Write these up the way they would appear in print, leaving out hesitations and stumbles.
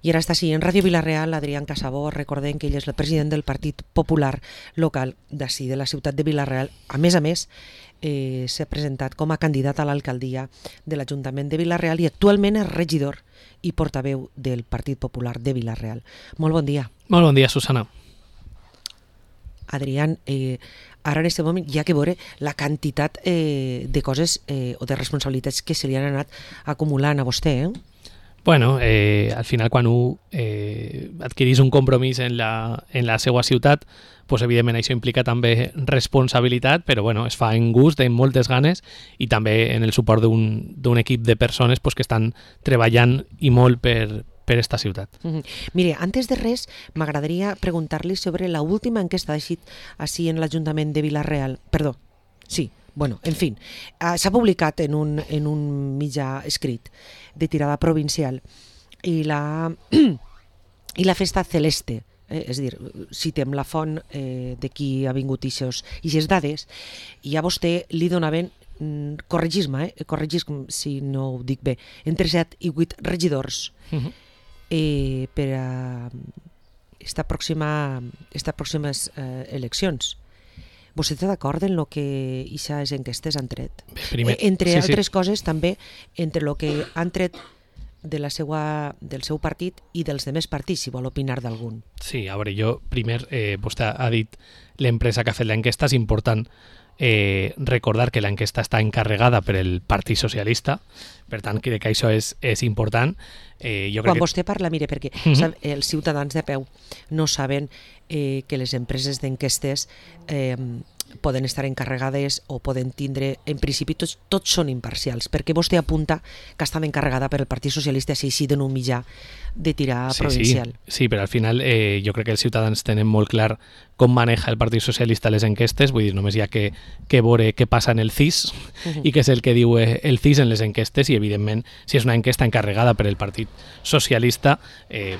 I ara està així, en Ràdio Vila-real, Adrián Casabó, recordem que ell és el president del Partit Popular local d'ací, de la ciutat de Vila-real. A més, s'ha presentat com a candidat a l'alcaldia de l'Ajuntament de Vila-real i actualment és regidor i portaveu del Partit Popular de Vila-real. Molt bon dia. Molt bon dia, Susana. Adrián, ara en aquest moment hi ha que veure la quantitat de coses o de responsabilitats que se li han anat acumulant a vostè, Bueno, al final quan un adquirís un compromís en la seva ciutat, pues, evidentment això implica també responsabilitat, però bueno, es fa en gust, amb moltes ganes i també en el suport d'un equip de persones pues, que estan treballant i molt per esta ciutat. Mire, antes de res, m'agradaria preguntar-li sobre la última enquesta d'eixit així en l'Ajuntament de Vila-real. Perdó, sí. Bueno, en fin, s'ha publicat en un mitjà escrit de tirada provincial i la festa celeste, és a dir, citem la font de qui ha vingut ixes dades, i a vostè li donaven, corregisme si no ho dic bé, entre 7 i 8 regidors per a esta pròximes eleccions. Vostè està d'acord en el que aquestes enquestes han tret? Entre altres coses, també, entre el que han tret del seu partit i dels demés partits, si vol opinar d'algun. Sí, a veure, jo primer, vostè ha dit l'empresa que ha fet l'enquesta, és important recordar que l'enquesta està encarregada per el Partit Socialista, per tant, crec que això és important. Quan vostè parla, mire, perquè els ciutadans de peu no saben que les empreses d'enquestes poden estar encarregades o poden tindre, en principi tots són imparcials, perquè vostè apunta que estan encarregada per el Partit Socialista així en un mitjà de tirar provincial. Sí, però al final jo crec que els ciutadans tenen molt clar com maneja el Partit Socialista les enquestes, vull dir, només hi ha que veure què passa en el CIS i què és el que diu el CIS en les enquestes i evidentment si és una enquesta encarregada per el Partit Socialista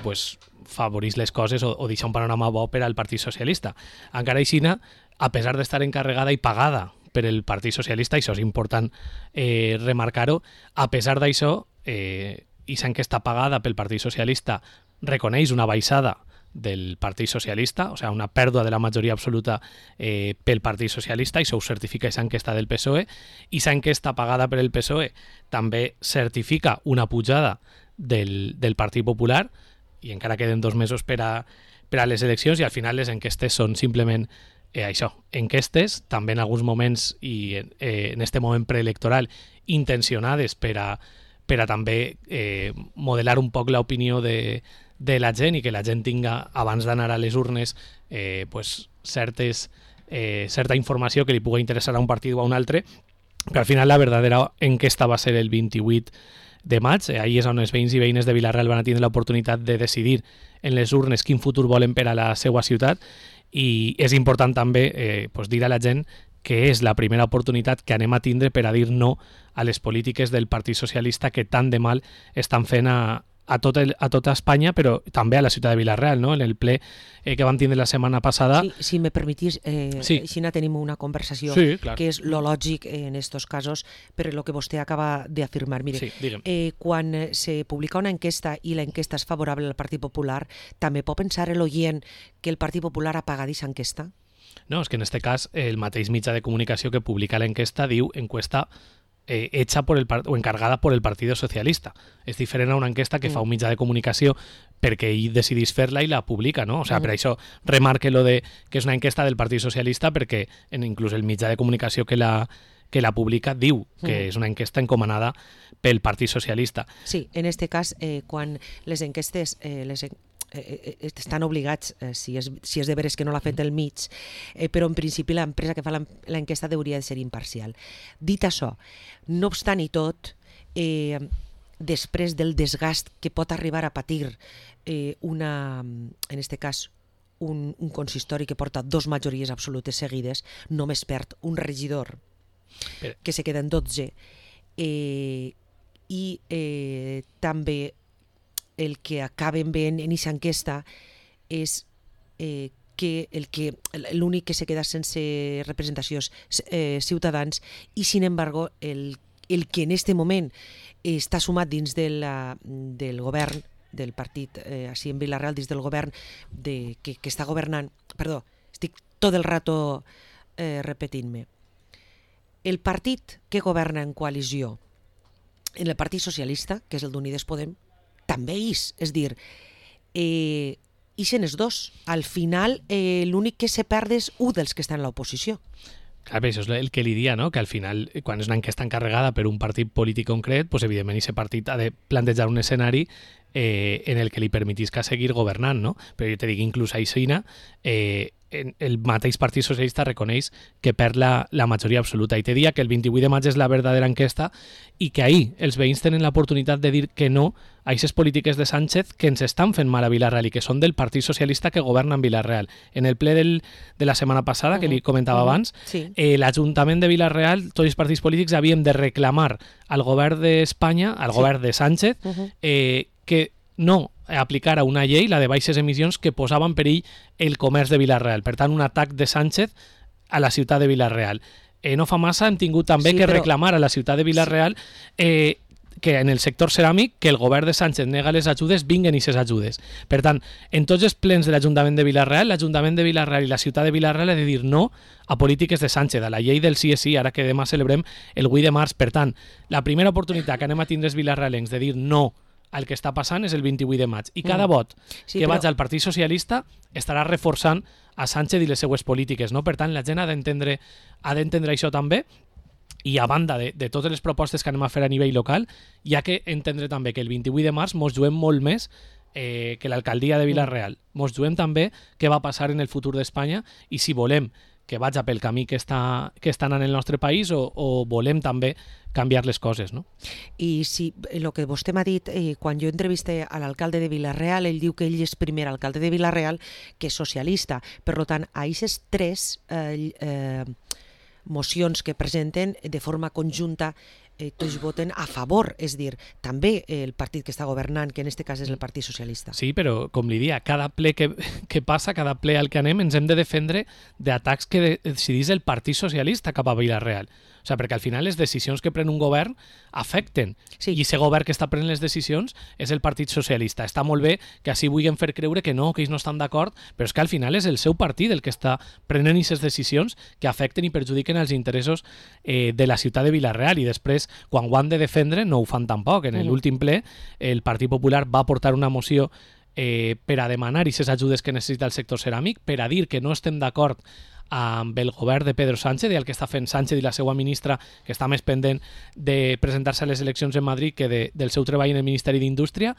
pues favorís les coses o deixa un panorama bo per al Partit Socialista. Encara així, a pesar d'estar encarregada i pagada per el Partit Socialista, això és important remarcar-ho, a pesar d'això, aquesta enquesta pagada pel Partit Socialista reconeix una baixada del Partit Socialista, o sigui, una pèrdua de la majoria absoluta pel Partit Socialista, i això ho certifica aquesta enquesta del PSOE, i aquesta enquesta pagada per el PSOE també certifica una pujada del Partit Popular, i encara queden 2 mesos per a les eleccions, i al final les enquestes són simplement això, enquestes, també en alguns moments i en este moment preelectoral intencionades per a també modelar un poc l'opinió de la gent i que la gent tinga, abans d'anar a les urnes, pues, certa informació que li pugui interessar a un partit o a un altre, però al final la verdadera enquesta va ser el 28 de maig, ahir és on els veïns i veïnes de Vila-real van tindre l'oportunitat de decidir en les urnes quin futur volen per a la seva ciutat, i és important també pues, dir a la gent que és la primera oportunitat que anem a tindre per a dir no a les polítiques del Partit Socialista que tant de mal estan fent a tota Espanya, però també a la ciutat de Vila-real, no? En el ple que vam tindre la setmana passada. Sí, si me permetís, així tenim una conversació que és lo lògic en estos casos, però el que vostè acaba d'afirmar. Mire, quan se publica una enquesta i la enquesta és favorable al Partit Popular, també pot pensar l'oient que el Partit Popular ha pagat aquesta enquesta? No, és que en aquest cas el mateix mitjà de comunicació que publica l'enquesta diu encuesta hecha o encargada por el Partido Socialista. És diferent a una enquesta que fa un mitjà de comunicació perquè ell decidís fer-la i la publica, no? O sigui, per això remarque lo de que és una enquesta del Partit Socialista, perquè inclús el mitjà de comunicació que la publica diu que és una enquesta encomanada pel Partit Socialista. Sí, en aquest cas, quan les enquestes estan obligats, si és de veres que no l'ha fet el mig, però en principi l'empresa que fa l'enquesta hauria de ser imparcial. Dit això, no obstant i tot, després del desgast que pot arribar a patir en aquest cas un consistori que porta 2 majories absolutes seguides, només perd un regidor que se queda en 12, i també el que acaben veient en aquesta enquesta és que l'únic que se queda sense representació és Ciutadans, i sin embargo el que en este moment està sumat dins del govern del partit així en Vila-real dins del govern que està governant, perdó, estic tot el rato repetint-me. El partit que governa en coalició en el Partit Socialista, que és el d'Unides Podem, també és dir, ixen els dos. Al final, l'únic que se perd és un dels que està en l'oposició. Clar, això és el que li dia, no? Que al final, quan és una enquesta encarregada per un partit polític concret, pues, evidentment, aquest partit ha de plantejar un escenari en el que li permetisca seguir governant, no? Però jo te dic, inclús a Aixina, el mateix Partit Socialista reconeix que perd la majoria absoluta. I te dia que el 28 de maig és la verdadera enquesta i que ahir els veïns tenen l'oportunitat de dir que no a aquestes polítiques de Sánchez que ens estan fent mal a Vila-real i que són del Partit Socialista que governa en Vila-real. En el ple de la setmana passada, que li comentava abans, l'Ajuntament de Vila-real, tots els partits polítics havíem de reclamar al govern d'Espanya, al govern de Sánchez, que no aplicara una llei, la de baixes emissions, que posava en perill el comerç de Vila-real. Per tant, un atac de Sánchez a la ciutat de Vila-real. No fa massa hem tingut també que reclamar a la ciutat de Vila-real que en el sector ceràmic que el govern de Sánchez nega les ajudes, vinguen aquestes ajudes. Per tant, en tots els plens de l'Ajuntament de Vila-real, l'Ajuntament de Vila-real i la ciutat de Vila-real ha de dir no a polítiques de Sánchez, a la llei del sí és sí, ara que demà celebrem el 8 de març. Per tant, la primera oportunitat que anem a tindre els vilarrealencs de dir no el que està passant és el 28 de maig. I cada vot que vaig al Partit Socialista estarà reforçant a Sánchez i les seues polítiques, no? Per tant, la gent ha d'entendre això també, i a banda de totes les propostes que anem a fer a nivell local, hi ha que entendre també que el 28 de març mos juguem molt més que l'alcaldia de Vila-real. Mos juguem també què va passar en el futur d'Espanya i si volem que vaig pel camí que està anant el nostre país o volem també canviar les coses, no? I si el que vostè m'ha dit, quan jo entreviste a l'alcalde de Vila-real, ell diu que ell és primer alcalde de Vila-real que és socialista. Per tant, a aquestes tres mocions que presenten de forma conjunta tots voten a favor, és dir, també el partit que està governant, que en aquest cas és el Partit Socialista. Sí, però com li dia, cada ple que passa, cada ple al que anem, ens hem de defendre d'atacs que decidís el Partit Socialista cap a Vila-real. O sigui, perquè al final les decisions que pren un govern afecten. Sí. I aquest govern que està prenent les decisions és el Partit Socialista. Està molt bé que així vulguin fer creure que no, que ells no estan d'acord, però és que al final és el seu partit el que està prenent aquestes decisions que afecten i perjudiquen els interessos de la ciutat de Vila-real. I després, quan ho han de defendre, no ho fan tampoc. En l'últim ple, el Partit Popular va portar una moció per a demanar aquestes ajudes que necessita el sector ceràmic, per a dir que no estem d'acord amb el govern de Pedro Sánchez i el que està fent Sánchez i la seva ministra, que està més pendent de presentar-se a les eleccions en Madrid que del seu treball en el Ministeri d'Indústria,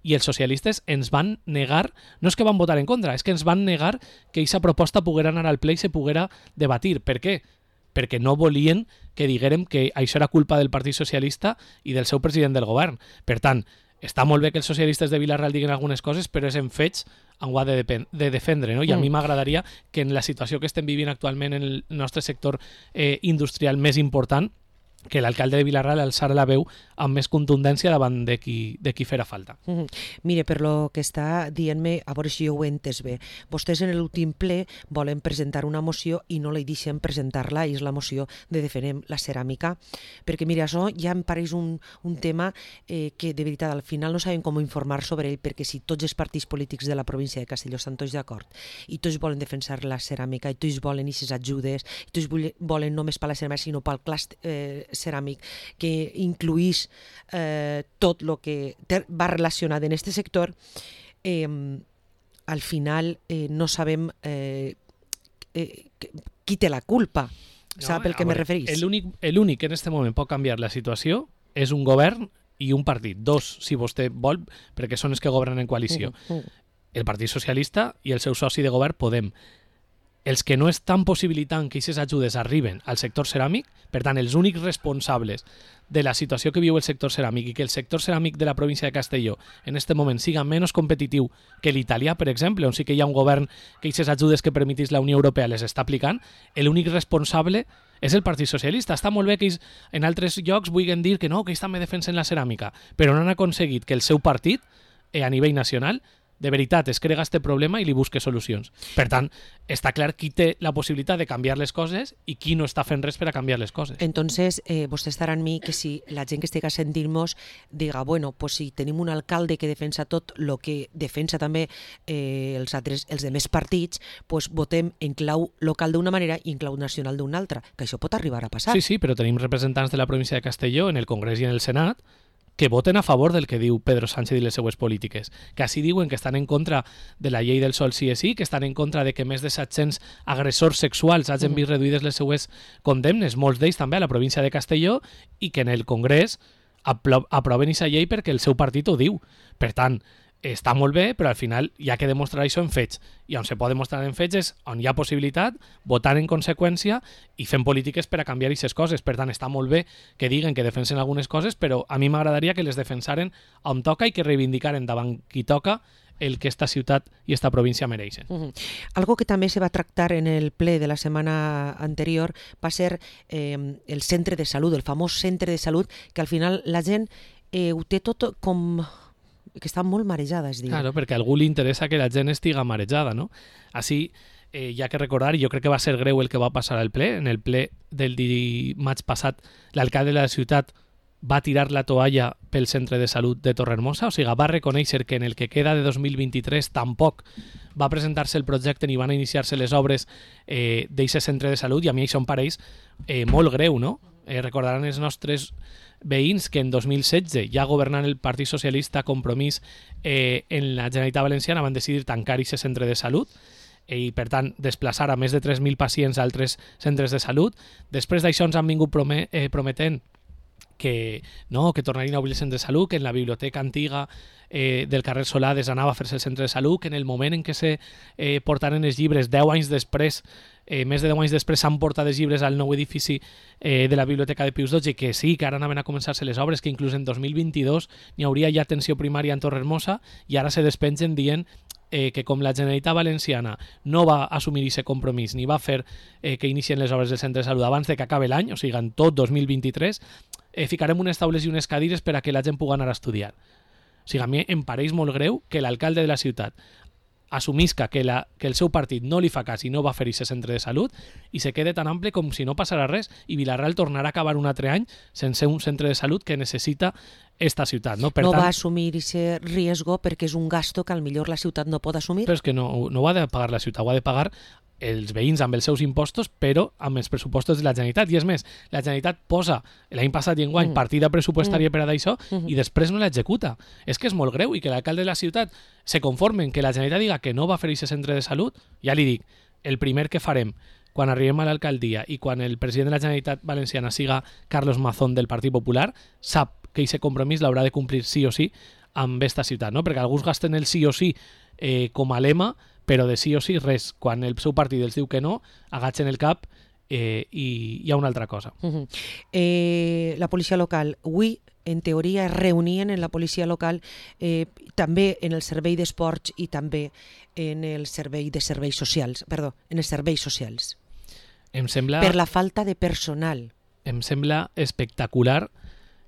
i els socialistes ens van negar, no és que van votar en contra, és que ens van negar que aquesta proposta poguera anar al ple i se poguera debatir. Per què? Perquè no volien que diguérem que això era culpa del Partit Socialista i del seu president del govern. Per tant, està molt bé que els socialistes de Vila-real diguin algunes coses, però és en fets on ho ha de defendre, no? I a mi m'agradaria que en la situació que estem vivint actualment en el nostre sector industrial més important, que l'alcalde de Vila-real alçara la veu amb més contundència davant de qui farà falta. Mire, per lo que està dient-me, a veure si jo ho he entès bé, vostès en l'últim ple volen presentar una moció i no li deixen presentar-la, i és la moció de Defenem la ceràmica, perquè mira, això ja em pareix un tema que de veritat al final no sabem com informar sobre ell, perquè si tots els partits polítics de la província de Castelló estan tots d'acord i tots volen defensar la ceràmica i tots volen aquestes ajudes i tots volen no només per la ceràmica sinó pel clúster ceràmic que incluís tot el que va relacionat en aquest sector, al final no sabem qui té la culpa. Sap el que me referís? L'únic que en aquest moment pot canviar la situació és un govern i un partit. Dos, si vostè vol, perquè són els que governen en coalició. El Partit Socialista i el seu soci de govern, Podem. Els que no estan possibilitant que aquestes ajudes arriben al sector ceràmic, per tant, els únics responsables de la situació que viu el sector ceràmic i que el sector ceràmic de la província de Castelló en aquest moment siga menys competitiu que l'italià, per exemple, on sí que hi ha un govern que aquestes ajudes que permetís la Unió Europea les està aplicant, l'únic responsable és el Partit Socialista. Està molt bé que ells en altres llocs vulguin dir que no, que ells també defensen la ceràmica, però no han aconseguit que el seu partit, a nivell nacional, de veritat es crega este problema i li busque solucions. Per tant, està clar qui té la possibilitat de canviar les coses i qui no està fent res per a canviar les coses. Entonces, vostè estarà en mi que si la gent que estigui sentint-nos diga, bueno, pues si tenim un alcalde que defensa tot el que defensa també els demés partits, pues votem en clau local d'una manera i en clau nacional d'una altra, que això pot arribar a passar. Sí, però tenim representants de la província de Castelló en el Congrés i en el Senat que voten a favor del que diu Pedro Sánchez i les seues polítiques, que així diuen que estan en contra de la llei del sol sí és sí, que estan en contra de que més de 700 agressors sexuals hagin vist reduïdes les seues condemnes, molts d'ells també a la província de Castelló, i que en el Congrés aproven aquesta llei perquè el seu partit ho diu. Per tant, està molt bé, però al final hi ha que demostrar això en fets. I on se pot demostrar en fets és on hi ha possibilitat, votant en conseqüència i fent polítiques per a canviar aquestes coses. Per tant, està molt bé que diguen que defensen algunes coses, però a mi m'agradaria que les defensaren on toca i que reivindicaren davant qui toca el que esta ciutat i esta província mereixen. Algo que també se va tractar en el ple de la setmana anterior va ser el centre de salut, el famós centre de salut, que al final la gent ho té tot com que està molt marejada, es diu. Claro, perquè a algú li interessa que la gent estiga marejada, no? Així, hi ha que recordar, i jo crec que va ser greu el que va passar al ple, en el ple del dimarts passat, l'alcalde de la ciutat va tirar la toalla pel centre de salut de Torrehermosa, o sigui, va reconèixer que en el que queda de 2023 tampoc va presentar-se el projecte ni van iniciar-se les obres d'aquest centre de salut, i a mi això em pareix molt greu, no? Recordaran els nostres veïns que en 2016, ja governant el Partit Socialista Compromís en la Generalitat Valenciana, van decidir tancar aquest centre de salut i, per tant, desplaçar a més de 3.000 pacients a altres centres de salut. Després d'això ens han vingut prometent que tornarien a obrir el centre de salut, que en la biblioteca antiga del carrer Solades anava a fer-se el centre de salut, que en el moment en què se portaren els llibres, 10 anys després, més de 10 anys després s'han portat els llibres al nou edifici de la Biblioteca de Pius XII, que sí, que ara anaven a començar-se les obres, que inclús en 2022 n'hi hauria ja atenció primària en Torrehermosa, i ara se despengen dient que com la Generalitat Valenciana no va assumir aquest compromís ni va fer que inicien les obres del centre de salut abans de que acabi l'any, o sigui, en tot 2023, ficarem unes taules i unes cadires per a que la gent pugui anar a estudiar. O sigui, a mi em pareix molt greu que l'alcalde de la ciutat assumisca que el seu partit no li fa cas i no va fer aquest centre de salut i se quede tan ample com si no passarà res, i Vila-real tornarà a acabar un altre any sense un centre de salut que necessita esta ciutat. No, per tant, va assumir aquest riesgo perquè és un gasto que potser la ciutat no pot assumir. Però és que no ho ha de pagar la ciutat, ho ha de pagar els veïns amb els seus impostos, però amb els pressupostos de la Generalitat. I és més, la Generalitat posa l'any passat i enguany partida pressupostària per a d'això i després no l'executa. És que és molt greu, i que l'alcalde de la ciutat se conforme en que la Generalitat diga que no va fer aquest centre de salut. Ja li dic, el primer que farem quan arribem a l'alcaldia i quan el president de la Generalitat Valenciana siga Carlos Mazón del Partit Popular, sap que aquest compromís l'haurà de complir sí o sí amb esta ciutat, no? Perquè alguns gasten el sí o sí com a lema, però de sí o sí res. Quan el seu partit els diu que no, agatxen el cap i hi ha una altra cosa. La policia local, avui en teoria es reunien en la policia local també en el servei d'esports i també en el servei de serveis socials, perdó, en els serveis socials. Em sembla... Per la falta de personal. Em sembla espectacular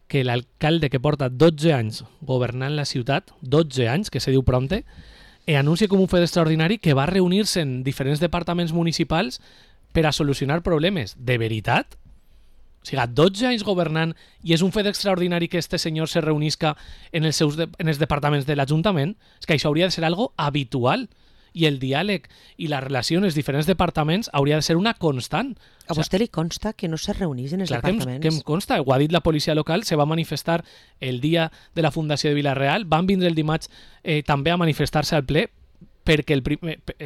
que l'alcalde que porta 12 anys governant la ciutat, 12 anys, que se diu prompte, anuncia com un fet extraordinari que va reunir-se en diferents departaments municipals per a solucionar problemes. De veritat? O sigui, 12 anys governant i és un fet extraordinari que este senyor se reunisca en els departaments de l'Ajuntament? És que això hauria de ser algo habitual. I el diàleg i la relació en els diferents departaments hauria de ser una constant. A vostè li consta que no se reunís en els departaments? Que em consta, ho ha dit la policia local, se va manifestar el dia de la fundació de Vila-real, van vindre el dimarts també a manifestar-se al ple perquè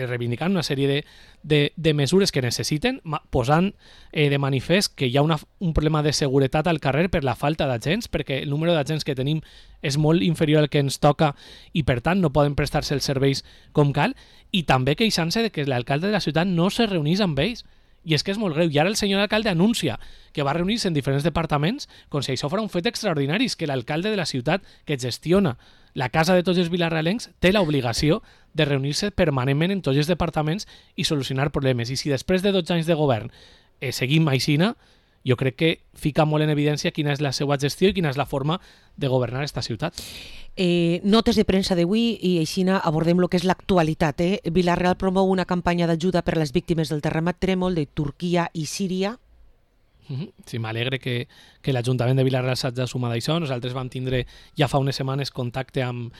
reivindicant una sèrie de mesures que necessiten, posant de manifest que hi ha un problema de seguretat al carrer per la falta d'agents, perquè el número d'agents que tenim és molt inferior al que ens toca i per tant no poden prestar-se els serveis com cal, i també queixant-se de que l'alcalde de la ciutat no se reunís amb ells. I és que és molt greu. I ara el senyor alcalde anuncia que va reunir-se en diferents departaments com si això fos un fet extraordinari, que l'alcalde de la ciutat que gestiona la casa de tots els vilarrealencs té l'obligació de reunir-se permanentment en tots els departaments i solucionar problemes. I si després de 12 anys de govern seguim aixina, jo crec que fica molt en evidència quina és la seva gestió i quina és la forma de governar esta ciutat. Notes de premsa d'avui i així abordem el que és l'actualitat. Vila-real promou una campanya d'ajuda per a les víctimes del terremat trèmol de Turquia i Síria. Sí, m'alegre que l'Ajuntament de Vila-real s'hagi de sumar d'això. Nosaltres vam tindre ja fa unes setmanes contacte amb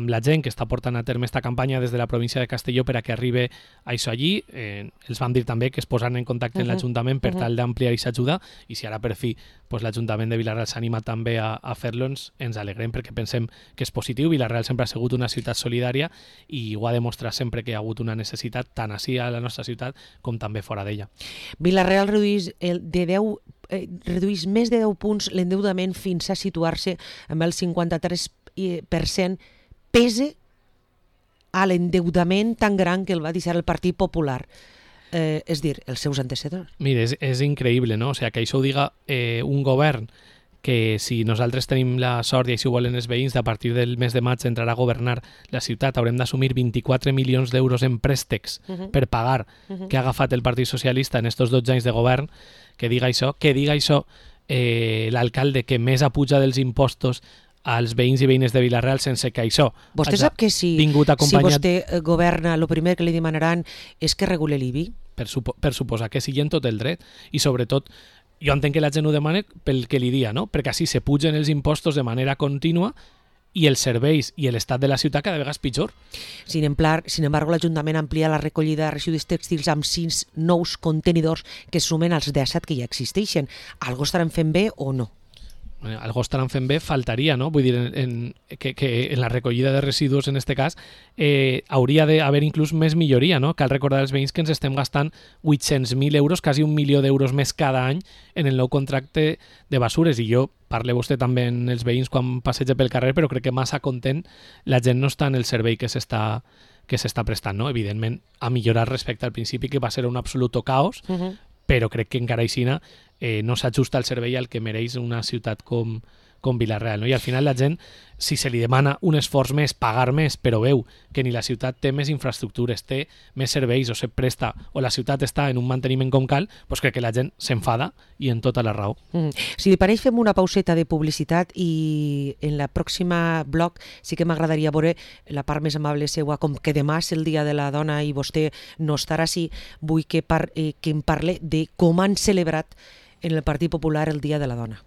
la gent que està portant a terme esta campanya des de la província de Castelló per a que arribi això allí. Els vam dir també que es posaran en contacte amb l'Ajuntament per tal d'ampliar aquesta ajuda, i si ara per fi l'Ajuntament de Vila-real s'anima també a fer-lo, ens alegrem perquè pensem que és positiu. Vila-real sempre ha sigut una ciutat solidària i ho ha demostrat sempre que hi ha hagut una necessitat tant ací a la nostra ciutat com també fora d'ella. Vila-real redueix més de 10 punts l'endeutament fins a situar-se amb el 53% pese a l'endeutament tan gran que el va deixar el Partit Popular. És dir, els seus antecedents. Mira, és increïble, no? O sigui, que això ho diga un govern que si nosaltres tenim la sort, i així ho volen els veïns, de a partir del mes de maig entrarà a governar la ciutat, haurem d'assumir 24 milions d'euros en préstecs per pagar que ha agafat el Partit Socialista en estos 12 anys de govern, que diga això l'alcalde que més apuja dels impostos als veïns i veïnes de Vila-real sense que això vostè sap que si vostè governa, el primer que li demanaran és que regule l'IBI? Per suposar que sigui en tot el dret, i sobretot jo entenc que la gent ho demana pel que li dia, no? Perquè així se pugen els impostos de manera contínua i els serveis i l'estat de la ciutat cada vegada és pitjor. Sin embargo, l'Ajuntament amplia la recollida de residus tèxtils amb 6 nous contenidors que sumen als 17 que ja existeixen. Algo estaran fent bé o no? Algo estaran fent bé, faltaria, no? Vull dir, que en la recollida de residus, en este cas, hauria d'haver inclús més milloria, no? Cal recordar als veïns que ens estem gastant 800.000 euros, quasi 1 milió d'euros més cada any en el nou contracte de basures, i jo parle vostè també en els veïns quan passeja pel carrer, però crec que massa content la gent no està en el servei que s'està prestant, no? Evidentment, a millorar respecte al principi, que va ser un absoluto caos, però crec que encara aixina no s'ajusta el servei al que mereix una ciutat com Vila-real, no? I al final la gent, si se li demana un esforç més, pagar més, però veu que ni la ciutat té més infraestructures, té més serveis, o se presta, o la ciutat està en un manteniment com cal, doncs crec que la gent s'enfada, i en tota la raó. Si li pareix, fem una pauseta de publicitat i en la pròxima bloc sí que m'agradaria veure la part més amable seua, com que demà és el Dia de la Dona i vostè no estarà així, vull que em parle de com han celebrat en el Partit Popular el Dia de la Dona.